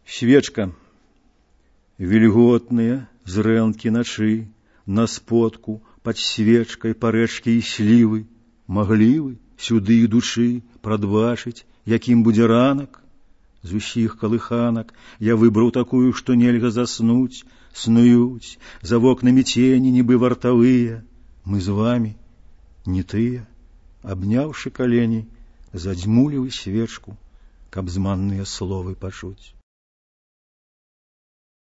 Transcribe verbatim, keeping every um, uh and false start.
Свечка. Вільготныя зрэнкі начы, на сподку под свечкой по рэчке і слівы, маглі вы сюды ідучы прадбачыць, якім будзе ранак? З усіх калыханак я выбраў такую, што нельга заснуць, снуюць за вокнамі цені, нібы вартавыя. Мы з вами не тыя, абняўшы калені, задзьмулі вы свечку, каб зманныя словы пачуць.